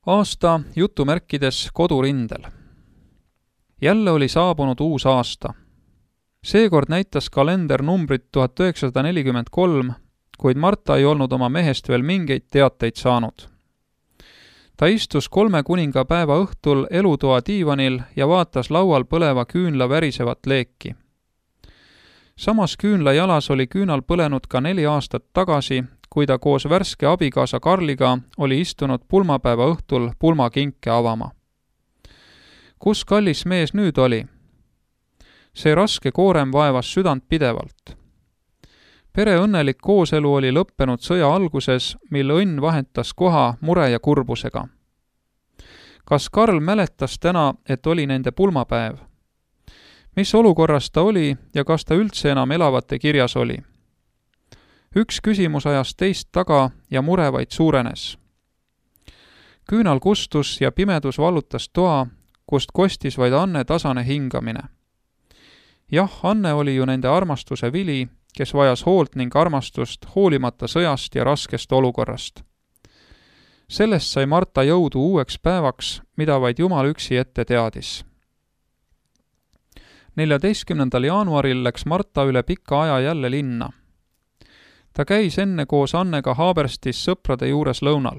Aasta jutumärkides kodurindel. Jälle oli saabunud uus aasta. Seekord näitas kalender numbrit 1943, kuid Marta ei olnud oma mehest veel mingeid teateid saanud. Ta istus 3 kuningapäeva õhtul elutoa diivanil ja vaatas laual põleva küünla värisevat leeki. Samas küünla jalas oli küünal põlenud ka 4 aastat tagasi, kui ta koos värske abikaasa Karliga oli istunud pulmapäeva õhtul pulmakinke avama. Kus kallis mees nüüd oli? See raske koorem vaevas südant pidevalt. Pere õnnelik kooselu oli lõppenud sõja alguses, mil õnn vahetas koha mure ja kurbusega. Kas Karl mäletas täna, et oli nende pulmapäev? Mis olukorras ta oli ja kas ta üldse enam elavate kirjas oli? Üks küsimus ajas teist taga ja mure vaid suurenes. Küünal kustus ja pimedus vallutas toa, kust kostis vaid Anne tasane hingamine. Jah, Anne oli ju nende armastuse vili, kes vajas hoolt ning armastust hoolimata sõjast ja raskest olukorrast. Sellest sai Marta jõudu uueks päevaks, mida vaid Jumal üksi ette teadis. 14. jaanuaril läks Marta üle pika aja jälle linna. Ta käis enne koos Annega Haaberstis sõprade juures lõunal.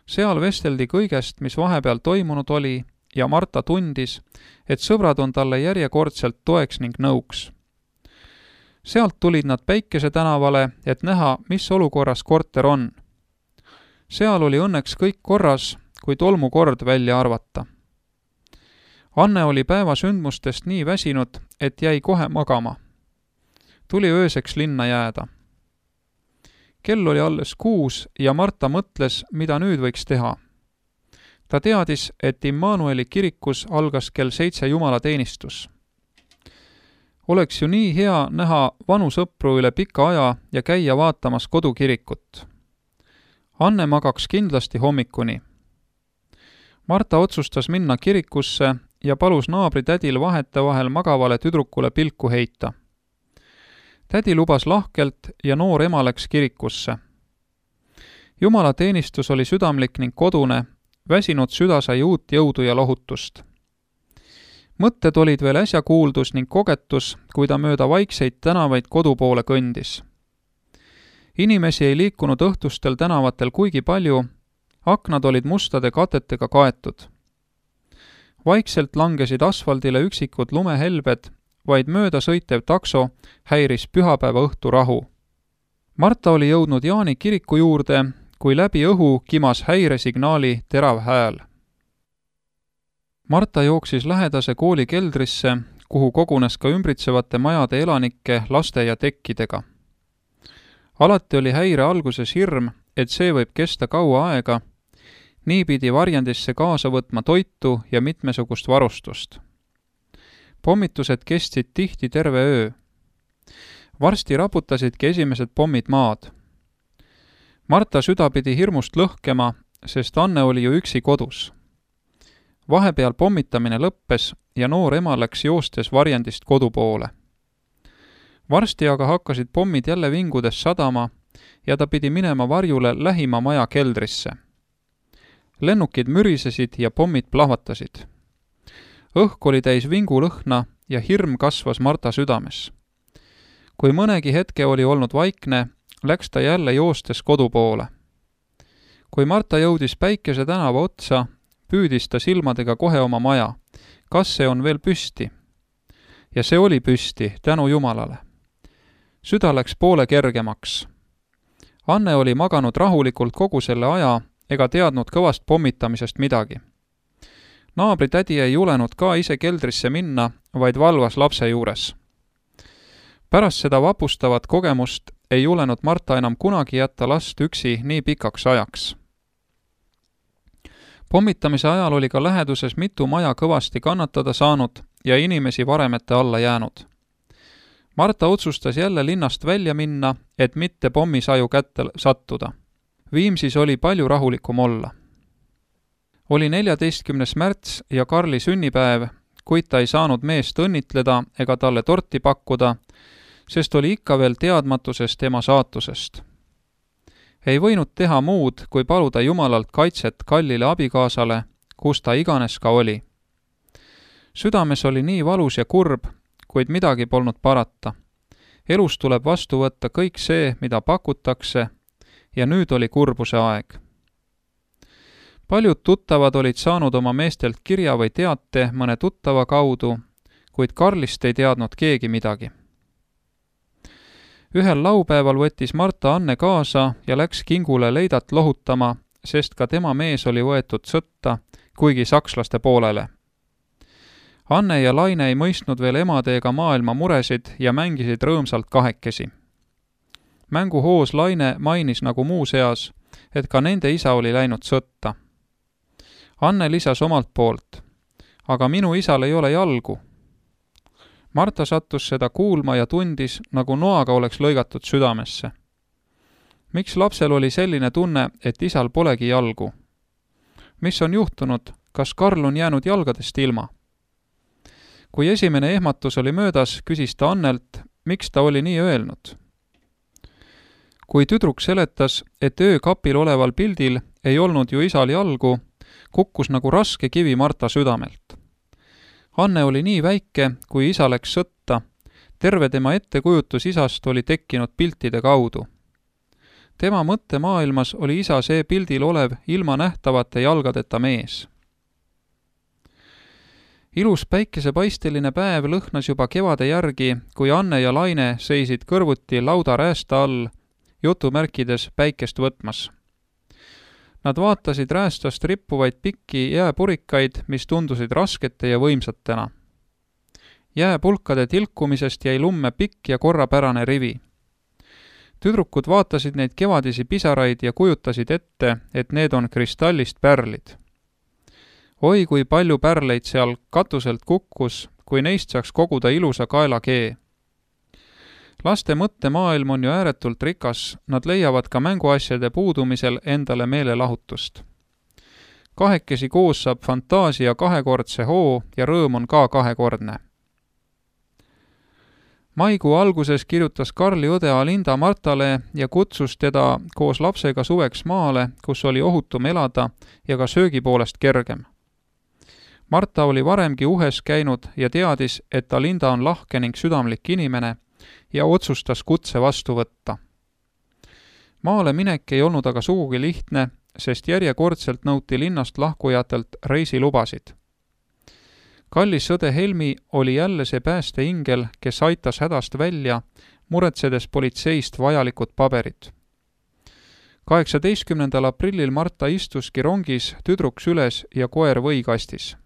Seal vesteldi kõigest, mis vahepeal toimunud oli, ja Marta tundis, et sõbrad on talle järjekordselt toeks ning nõuks. Sealt tulid nad Päikese tänavale, et näha, mis olukorras korter on. Seal oli õnneks kõik korras, kui tolmukord välja arvata. Anne oli päeva sündmustest nii väsinud, et jäi kohe magama. Tuli ööseks linna jääda. Kell oli alles 6 ja Marta mõtles, mida nüüd võiks teha. Ta teadis, et Immanueli kirikus algas kell 7 jumalateenistus. Oleks ju nii hea näha vanu sõpru üle pika aja ja käia vaatamas kodukirikut. Anne magaks kindlasti hommikuni. Marta otsustas minna kirikusse ja palus naabritädil vahetevahel magavale tüdrukule pilku heita. Tädi lubas lahkelt ja noor ema läks kirikusse. Jumalateenistus oli südamlik ning kodune, väsinud süda sai uut jõudu ja lohutust. Mõtted olid veel äsja kuuldus ning kogetus, kui ta mööda vaikseid tänavaid kodu poole kõndis. Inimesi ei liikunud õhtustel tänavatel kuigi palju, aknad olid mustade katetega kaetud. Vaikselt langesid asfaldile üksikud lumehelbed, vaid mööda sõitev takso häiris pühapäeva õhtu rahu. Marta oli jõudnud Jaani kiriku juurde, kui läbi õhu kimas häiresignaali terav hääl. Marta jooksis lähedase kooli keldrisse, kuhu kogunes ka ümbritsevate majade elanikke laste ja tekkidega. Alati oli häire alguses hirm, et see võib kesta kaua aega, nii pidi varjendisse kaasa võtma toitu ja mitmesugust varustust. Pommitused kestsid tihti terve öö. Varsti raputasidki esimesed pommid maad. Marta süda pidi hirmust lõhkema, sest Anne oli ju üksi kodus. Vahepeal pommitamine lõppes ja noor ema läks joostes varjendist kodu poole. Varsti aga hakkasid pommid jälle vingudes sadama ja ta pidi minema varjule lähima maja keldrisse. Lennukid mürisesid ja pommid plahvatasid. Õhk oli täis vingulõhna ja hirm kasvas Marta südames. Kui mõnegi hetke oli olnud vaikne, läks ta jälle joostes kodu poole. Kui Marta jõudis Päikese tänava otsa, püüdis ta silmadega kohe oma maja. Kas see on veel püsti? Ja see oli püsti, tänu Jumalale. Süda läks poole kergemaks. Anne oli maganud rahulikult kogu selle aja ega teadnud kõvast pommitamisest midagi. Naabritädi ei julenud ka ise keldrisse minna, vaid valvas lapse juures. Pärast seda vapustavat kogemust ei julenud Marta enam kunagi jätta last üksi nii pikaks ajaks. Pommitamise ajal oli ka läheduses mitu maja kõvasti kannatada saanud ja inimesi varemete alla jäänud. Marta otsustas jälle linnast välja minna, et mitte pommisaju kätte sattuda. Viimsis oli palju rahulikum olla. Oli 14. märts ja Karli sünnipäev, kuid ta ei saanud meest õnnitleda ega talle torti pakkuda, sest oli ikka veel teadmatusest ema saatusest. Ei võinud teha muud, kui paluda Jumalalt kaitset kallile abikaasale, kus ta iganes ka oli. Südames oli nii valus ja kurb, kuid midagi polnud parata. Elus tuleb vastu võtta kõik see, mida pakutakse, ja nüüd oli kurbuse aeg. Paljud tuttavad olid saanud oma meestelt kirja või teate mõne tuttava kaudu, kuid Karlist ei teadnud keegi midagi. Ühel laupäeval võttis Marta Anne kaasa ja läks kingule leidat lohutama, sest ka tema mees oli võetud sõtta, kuigi sakslaste poolele. Anne ja Laine ei mõistnud veel emade ega maailma muresid ja mängisid rõõmsalt kahekesi. Mänguhoos Laine mainis nagu muu seas, et ka nende isa oli läinud sõtta. Anne lisas omalt poolt, aga minu isal ei ole jalgu. Marta sattus seda kuulma ja tundis, nagu noaga oleks lõigatud südamesse. Miks lapsel oli selline tunne, et isal polegi jalgu? Mis on juhtunud, kas Karl on jäänud jalgadest ilma? Kui esimene ehmatus oli möödas, küsis ta Annelt, miks ta oli nii öelnud. Kui tüdruk seletas, et öökapil oleval pildil ei olnud ju isal jalgu, kukkus nagu raske kivi Marta südamelt. Anne oli nii väike, kui isa läks sõtta. Terve tema ettekujutus isast oli tekkinud piltide kaudu. Tema mõttemaailmas oli isa see pildil olev ilma nähtavate jalgadeta mees. Ilus päikesepaisteline päev lõhnas juba kevade järgi, kui Anne ja Laine seisid kõrvuti lauda räästa all, jutumärkides päikest võtmas. Nad vaatasid räästast rippuvaid pikki jääpurikaid, mis tundusid raskete ja võimsatena. Jääpulkade tilkumisest jäi lumme pikk ja korrapärane rivi. Tüdrukud vaatasid neid kevadisi pisaraid ja kujutasid ette, et need on kristallist pärlid. Oi, kui palju pärleid seal katuselt kukkus, kui neist saaks koguda ilusa kaelakee. Laste mõttemaailm on ju ääretult rikas, nad leiavad ka mänguasjade puudumisel endale meelelahutust. Kahekesi koos saab fantaasia kahekordse hoo ja rõõm on ka kahekordne. Maikuu alguses kirjutas Karli õde Alinda Martale ja kutsus teda koos lapsega suveks maale, kus oli ohutum elada ja ka söögi poolest kergem. Marta oli varemgi uhes käinud ja teadis, et Alinda on lahke ning südamlik inimene ja otsustas kutse vastu võtta. Maale minek ei olnud aga sugugi lihtne, sest järjekordselt nõuti linnast lahkujatelt reisilubasid. Kallis õde Helmi oli jälle see päästeingel, kes aitas hädast välja, muretsedes politseist vajalikud paberid. 18. aprillil Marta istuski rongis, tüdruk süles ja koer võikastis.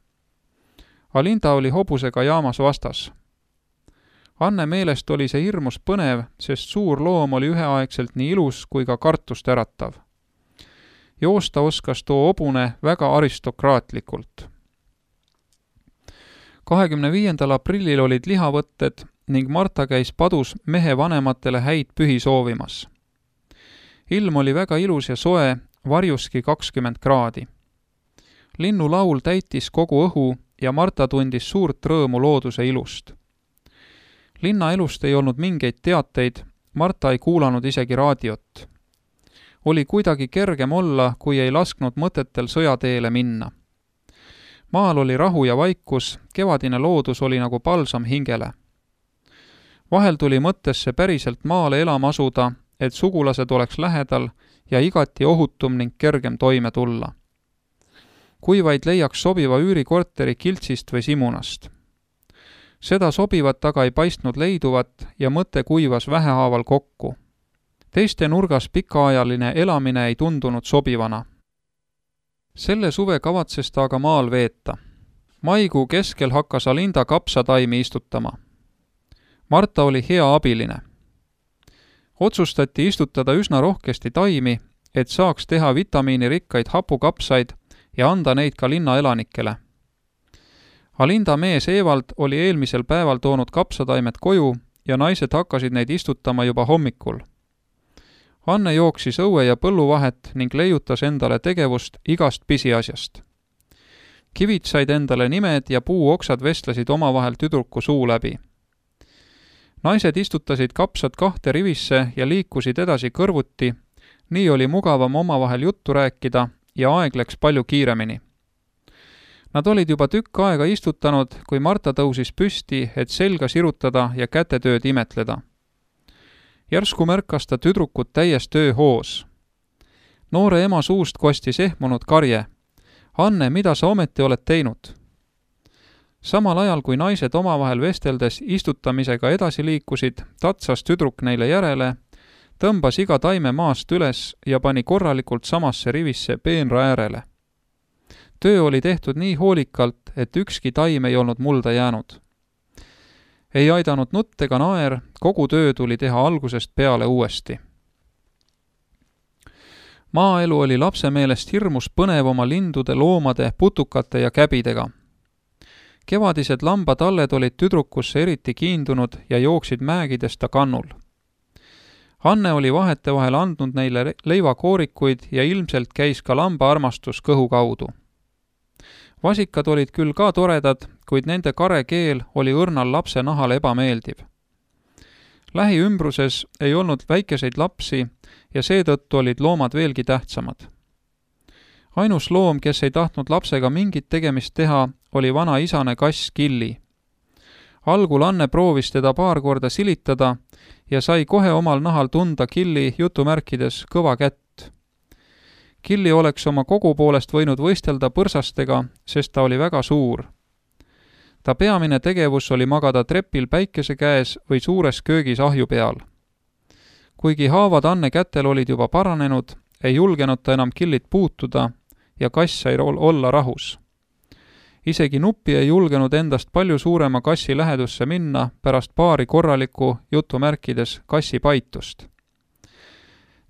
Alinda oli hobusega jaamas vastas. Anne meelest oli see hirmus põnev, sest suur loom oli üheaegselt nii ilus kui ka kartust äratav. Joosta oskas too hobune väga aristokraatlikult. 25. aprillil olid lihavõtted ning Marta käis padus mehe vanematele häid pühi soovimas. Ilm oli väga ilus ja soe, varjuski 20 kraadi. Linnulaul täitis kogu õhu ja Marta tundis suurt rõõmu looduse ilust. Linnaelust ei olnud mingeid teateid, Marta ei kuulanud isegi raadiot. Oli kuidagi kergem olla, kui ei lasknud mõtetel sõjateele minna. Maal oli rahu ja vaikus, kevadine loodus oli nagu palsam hingele. Vahel tuli mõttesse päriselt maale elama asuda, et sugulased oleks lähedal ja igati ohutum ning kergem toime tulla. Kui vaid leiaks sobiva üürikorteri Kiltsist või Simunast. Seda sobivat aga ei paistnud leiduvat ja mõte kuivas vähehaaval kokku. Teiste nurgas pikaajaline elamine ei tundunud sobivana. Selle suve kavatses ta aga maal veeta. Maikuu keskel hakkas Alinda kapsataimi istutama. Marta oli hea abiline. Otsustati istutada üsna rohkesti taimi, et saaks teha vitamiinirikkaid hapukapsaid ja anda neid ka linnaelanikele. Alinda mees Evald oli eelmisel päeval toonud kapsataimed koju ja naised hakkasid neid istutama juba hommikul. Anne jooksis õue ja põllu vahet ning leiutas endale tegevust igast pisiasjast. Kivid said endale nimed ja puuoksad vestlesid omavahel tüdruku suu läbi. Naised istutasid kapsad 2 rivisse ja liikusid edasi kõrvuti, nii oli mugavam omavahel juttu rääkida ja aeg läks palju kiiremini. Nad olid juba tükk aega istutanud, kui Marta tõusis püsti, et selga sirutada ja kätetööd imetleda. Järsku märkas ta tüdrukut täies tööhoos. Noore ema suust kostis ehmunud karje. Anne, mida sa ometi oled teinud? Samal ajal, kui naised omavahel vesteldes istutamisega edasi liikusid, tatsas tüdruk neile järele, tõmbas iga taime maast üles ja pani korralikult samasse rivisse peenra äärele. Töö oli tehtud nii hoolikalt, et ükski taim ei olnud mulda jäänud. Ei aidanud nutt ega naer, kogu töö tuli teha algusest peale uuesti. Maaelu oli lapse meelest hirmus põnev oma lindude, loomade, putukate ja käbidega. Kevadised lambatalled olid tüdrukusse eriti kiindunud ja jooksid mäegides ta kannul. Anne oli vahetevahel andnud neile leivakoorikuid ja ilmselt käis ka lamba armastus kõhu kaudu. Vasikad olid küll ka toredad, kuid nende kare keel oli õrnal lapse nahale ebameeldiv. Lähiümbruses ei olnud väikeseid lapsi ja seetõttu olid loomad veelgi tähtsamad. Ainus loom, kes ei tahtnud lapsega mingit tegemist teha, oli vana isane kass Killi. Algul Anne proovis teda paar korda silitada ja sai kohe omal nahal tunda Killi jutumärkides kõva kätt. Killi oleks oma kogu poolest võinud võistelda põrsastega, sest ta oli väga suur. Ta peamine tegevus oli magada trepil päikese käes või suures köögis ahju peal. Kuigi haavad Anne kätel olid juba paranenud, ei julgenud ta enam Killit puutuda ja kass sai olla rahus. Isegi Nuppi ei julgenud endast palju suurema kassi lähedusse minna pärast paari korralikku jutumärkides kassi paitust.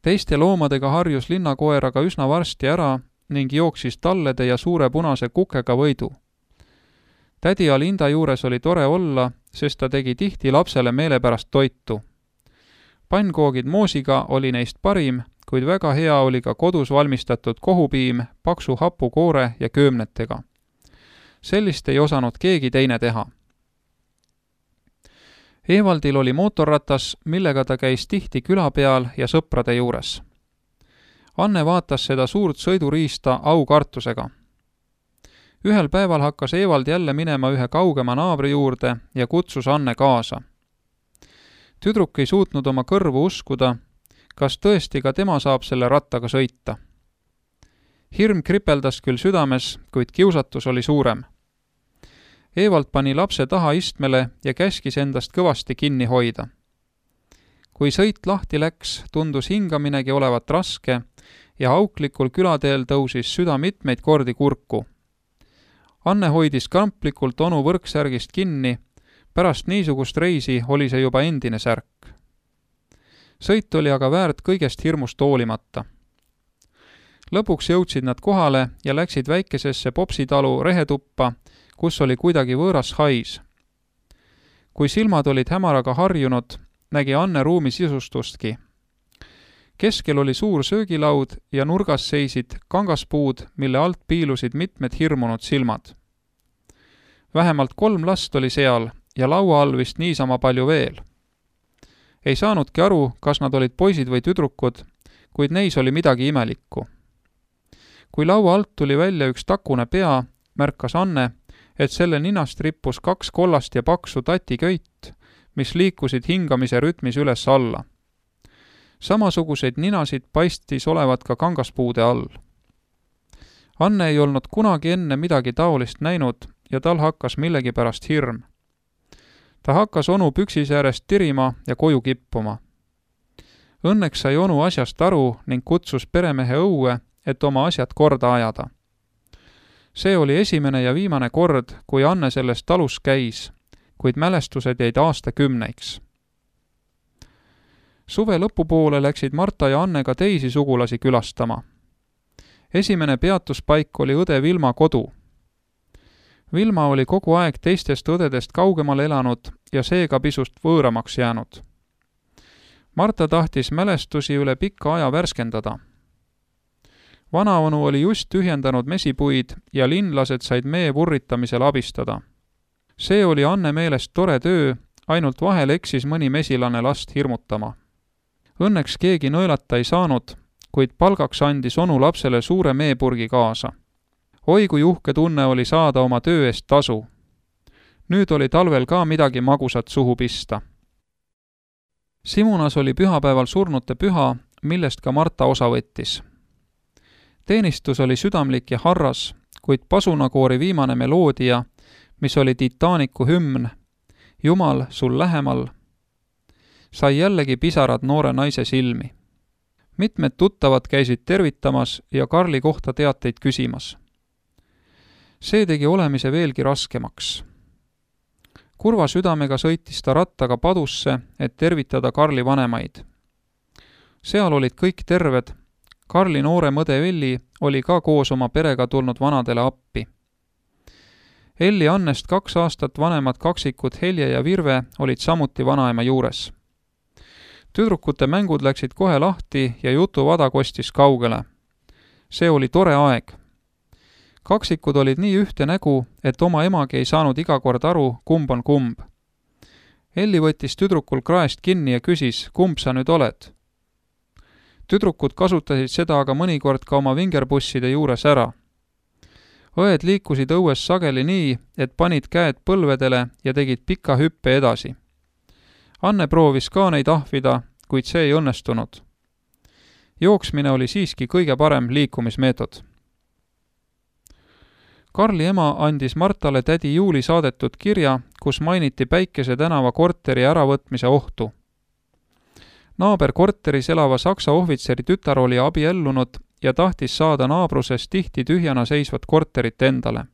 Teiste loomadega harjus linnakoer aga üsna varsti ära ning jooksis tallede ja suure punase kukega võidu. Tädi Alinda juures oli tore olla, sest ta tegi tihti lapsele meelepärast toitu. Pannkoogid moosiga oli neist parim, kuid väga hea oli ka kodus valmistatud kohupiim, paksu hapukoore ja köömnetega. Sellist ei osanud keegi teine teha. Evaldil oli mootorratas, millega ta käis tihti küla peal ja sõprade juures. Anne vaatas seda suurt sõiduriista aukartusega. Ühel päeval hakkas Evald jälle minema ühe kaugema naabri juurde ja kutsus Anne kaasa. Tüdruk ei suutnud oma kõrvu uskuda, kas tõesti ka tema saab selle rattaga sõita. Hirm kripeldas küll südames, kuid kiusatus oli suurem. Evald pani lapse taha istmele ja käskis endast kõvasti kinni hoida. Kui sõit lahti läks, tundus hingaminegi olevat raske ja auklikul külateel tõusis süda mitmeid kordi kurku. Anne hoidis kamplikult onu võrksärgist kinni, pärast niisugust reisi oli see juba endine särk. Sõit oli aga väärt kõigest hirmust hoolimata. Lõpuks jõudsid nad kohale ja läksid väikesesse popsitalu rehetuppa, kus oli kuidagi võõras hais. Kui silmad olid hämaraga harjunud, nägi Anne ruumi sisustustki. Keskel oli suur söögilaud ja nurgas seisid kangaspuud, mille alt piilusid mitmed hirmunud silmad. Vähemalt 3 last oli seal ja laua all vist niisama palju veel. Ei saanudki aru, kas nad olid poisid või tüdrukud, kuid neis oli midagi imelikku. Kui laua alt tuli välja üks takune pea, märkas Anne, et selle ninast rippus 2 kollast ja paksu tatiköit, mis liikusid hingamise rütmis üles alla. Samasuguseid ninasid paistis olevat ka kangaspuude all. Anne ei olnud kunagi enne midagi taolist näinud ja tal hakkas millegipärast hirm. Ta hakkas onu püksisäärest tirima ja koju kippuma. Õnneks sai onu asjast aru ning kutsus peremehe õue, et oma asjad korda ajada. See oli esimene ja viimane kord, kui Anne selles talus käis, kuid mälestused jäid aastakümneiks. Suve lõpupoole läksid Marta ja Anne ka teisi sugulasi külastama. Esimene peatuspaik oli õde Vilma kodu. Vilma oli kogu aeg teistest õdedest kaugemal elanud ja seega pisut võõramaks jäänud. Marta tahtis mälestusi üle pika aja värskendada. Vanaonu oli just tühjendanud mesipuid ja linlased said mee vurritamisel abistada. See oli Anne meelest tore töö, ainult vahel eksis mõni mesilane last hirmutama. Õnneks keegi nõelata ei saanud, kuid palgaks andis onu lapsele suure meepurgi kaasa. Oi kui uhke tunne oli saada oma töö eest tasu. Nüüd oli talvel ka midagi magusat suhu pista. Simunas oli pühapäeval surnute püha, millest ka Marta osa võttis. Teenistus oli südamlik ja harras, kuid pasunakoori viimane meloodia, mis oli Titanicu hümn, Jumal sul lähemal, sai jällegi pisarad noore naise silmi. Mitmed tuttavad käisid tervitamas ja Karli kohta teateid küsimas. See tegi olemise veelgi raskemaks. Kurva südamega sõitis ta rattaga padusse, et tervitada Karli vanemaid. Seal olid kõik terved. Karli noorem õde Elli oli ka koos oma perega tulnud vanadele appi. Elli Annest 2 aastat vanemad kaksikud Helje ja Virve olid samuti vanaema juures. Tüdrukute mängud läksid kohe lahti ja jutuvada kostis kaugele. See oli tore aeg. Kaksikud olid nii ühte nägu, et oma emagi ei saanud iga kord aru, kumb on kumb. Elli võttis tüdrukul kraest kinni ja küsis, kumb sa nüüd oled? Tüdrukud kasutasid seda aga mõnikord ka oma vingerbusside juures ära. Õed liikusid õues sageli nii, et panid käed põlvedele ja tegid pika hüppe edasi. Anne proovis ka neid ahvida, kuid see ei õnnestunud. Jooksmine oli siiski kõige parem liikumismeetod. Karli ema andis Martale tädi Juuli saadetud kirja, kus mainiti Päikese tänava korteri äravõtmise ohtu. Naaberkorteris elava saksa ohvitseri tütar oli abiellunud ja tahtis saada naabruses tihti tühjana seisvat korterit endale.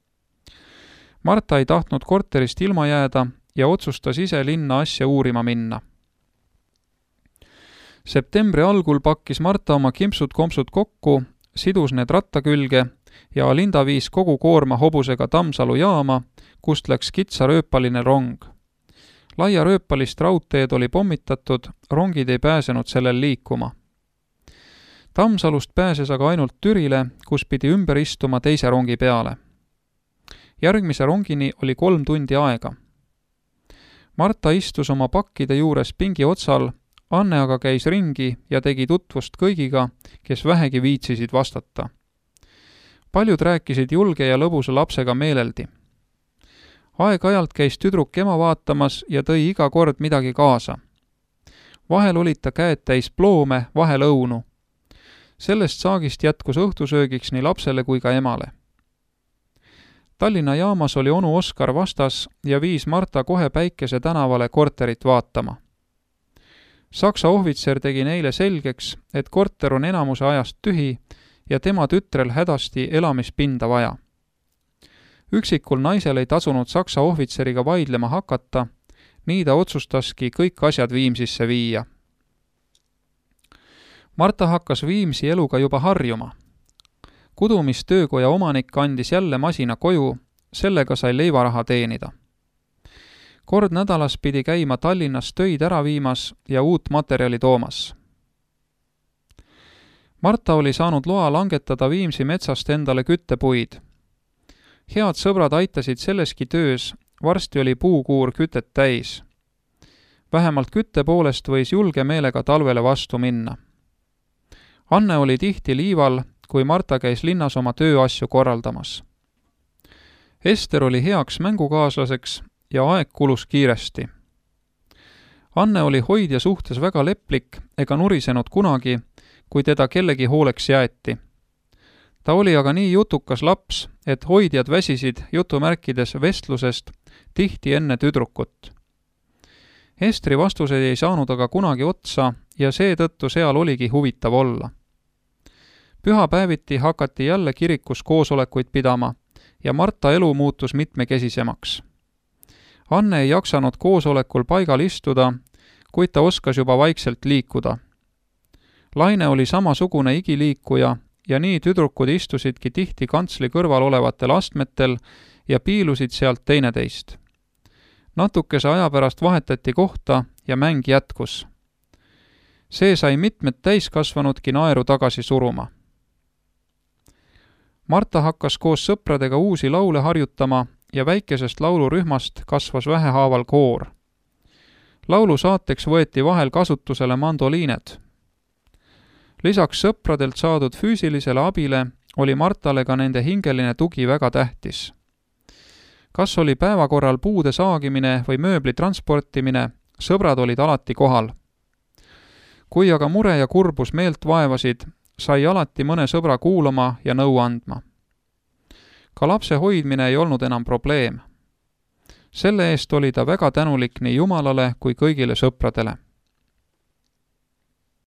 Marta ei tahtnud korterist ilma jääda ja otsustas ise linna asja uurima minna. Septembri algul pakkis Marta oma kimpsud-kompsud kokku, sidus need ratta külge ja Alinda viis kogu koorma hobusega Tammsalu jaama, kust läks kitsarööpaline rong. Laia rööpalist raudteed oli pommitatud, rongid ei pääsenud sellel liikuma. Tammsalust pääses aga ainult Türile, kus pidi ümber istuma teise rongi peale. Järgmise rongini oli 3 tundi aega. Marta istus oma pakkide juures pingi otsal, Anne aga käis ringi ja tegi tutvust kõigiga, kes vähegi viitsisid vastata. Paljud rääkisid julge ja lõbusa lapsega meeleldi. Aeg-ajalt käis tüdruk ema vaatamas ja tõi iga kord midagi kaasa. Vahel olid ta käed täis ploome, vahel õunu. Sellest saagist jätkus õhtusöögiks nii lapsele kui ka emale. Tallinna jaamas oli onu Oskar vastas ja viis Marta kohe Päikese tänavale korterit vaatama. Saksa ohvitser tegi neile selgeks, et korter on enamuse ajast tühi ja tema tütrel hädasti elamispinda vaja. Üksikul naisel ei tasunud Saksa ohvitseriga vaidlema hakata, nii ta otsustaski kõik asjad Viimsisse viia. Marta hakkas Viimsi eluga juba harjuma. Kudumistöökoja omanik andis jälle masina koju, sellega sai leivaraha teenida. Kord nädalas pidi käima Tallinnas töid ära viimas ja uut materjali toomas. Marta oli saanud loa langetada Viimsi metsast endale küttepuid. Head sõbrad aitasid selleski töös, varsti oli puukuur kütet täis. Vähemalt kütte poolest võis julge meelega talvele vastu minna. Anne oli tihti liival, kui Marta käis linnas oma tööasju korraldamas. Ester oli heaks mängukaaslaseks ja aeg kulus kiiresti. Anne oli hoidja suhtes väga leplik ega nurisenud kunagi, kui teda kellegi hooleks jäeti. Ta oli aga nii jutukas laps, et hoidjad väsisid jutumärkides vestlusest tihti enne tüdrukut. Estri vastused ei saanud aga kunagi otsa ja seetõttu seal oligi huvitav olla. Pühapäeviti hakati jälle kirikus koosolekuid pidama ja Marta elu muutus mitmekesisemaks. Anne ei jaksanud koosolekul paigal istuda, kuid ta oskas juba vaikselt liikuda. Laine oli samasugune igiliikuja ja nii tüdrukud istusidki tihti kantsli kõrval olevatel astmetel ja piilusid sealt teineteist. Natukese aja pärast vahetati kohta ja mäng jätkus. See sai mitmed täiskasvanudki naeru tagasi suruma. Marta hakkas koos sõpradega uusi laule harjutama ja väikesest laulurühmast kasvas vähehaaval koor. Laulu saateks võeti vahel kasutusele mandoliined. Lisaks sõpradelt saadud füüsilisele abile oli Martale ka nende hingeline tugi väga tähtis. Kas oli päevakorral puude saagimine või mööbli transportimine, sõbrad olid alati kohal. Kui aga mure ja kurbus meelt vaevasid, sai alati mõne sõbra kuulama ja nõu andma. Ka lapse hoidmine ei olnud enam probleem. Selle eest oli ta väga tänulik nii Jumalale kui kõigile sõpradele.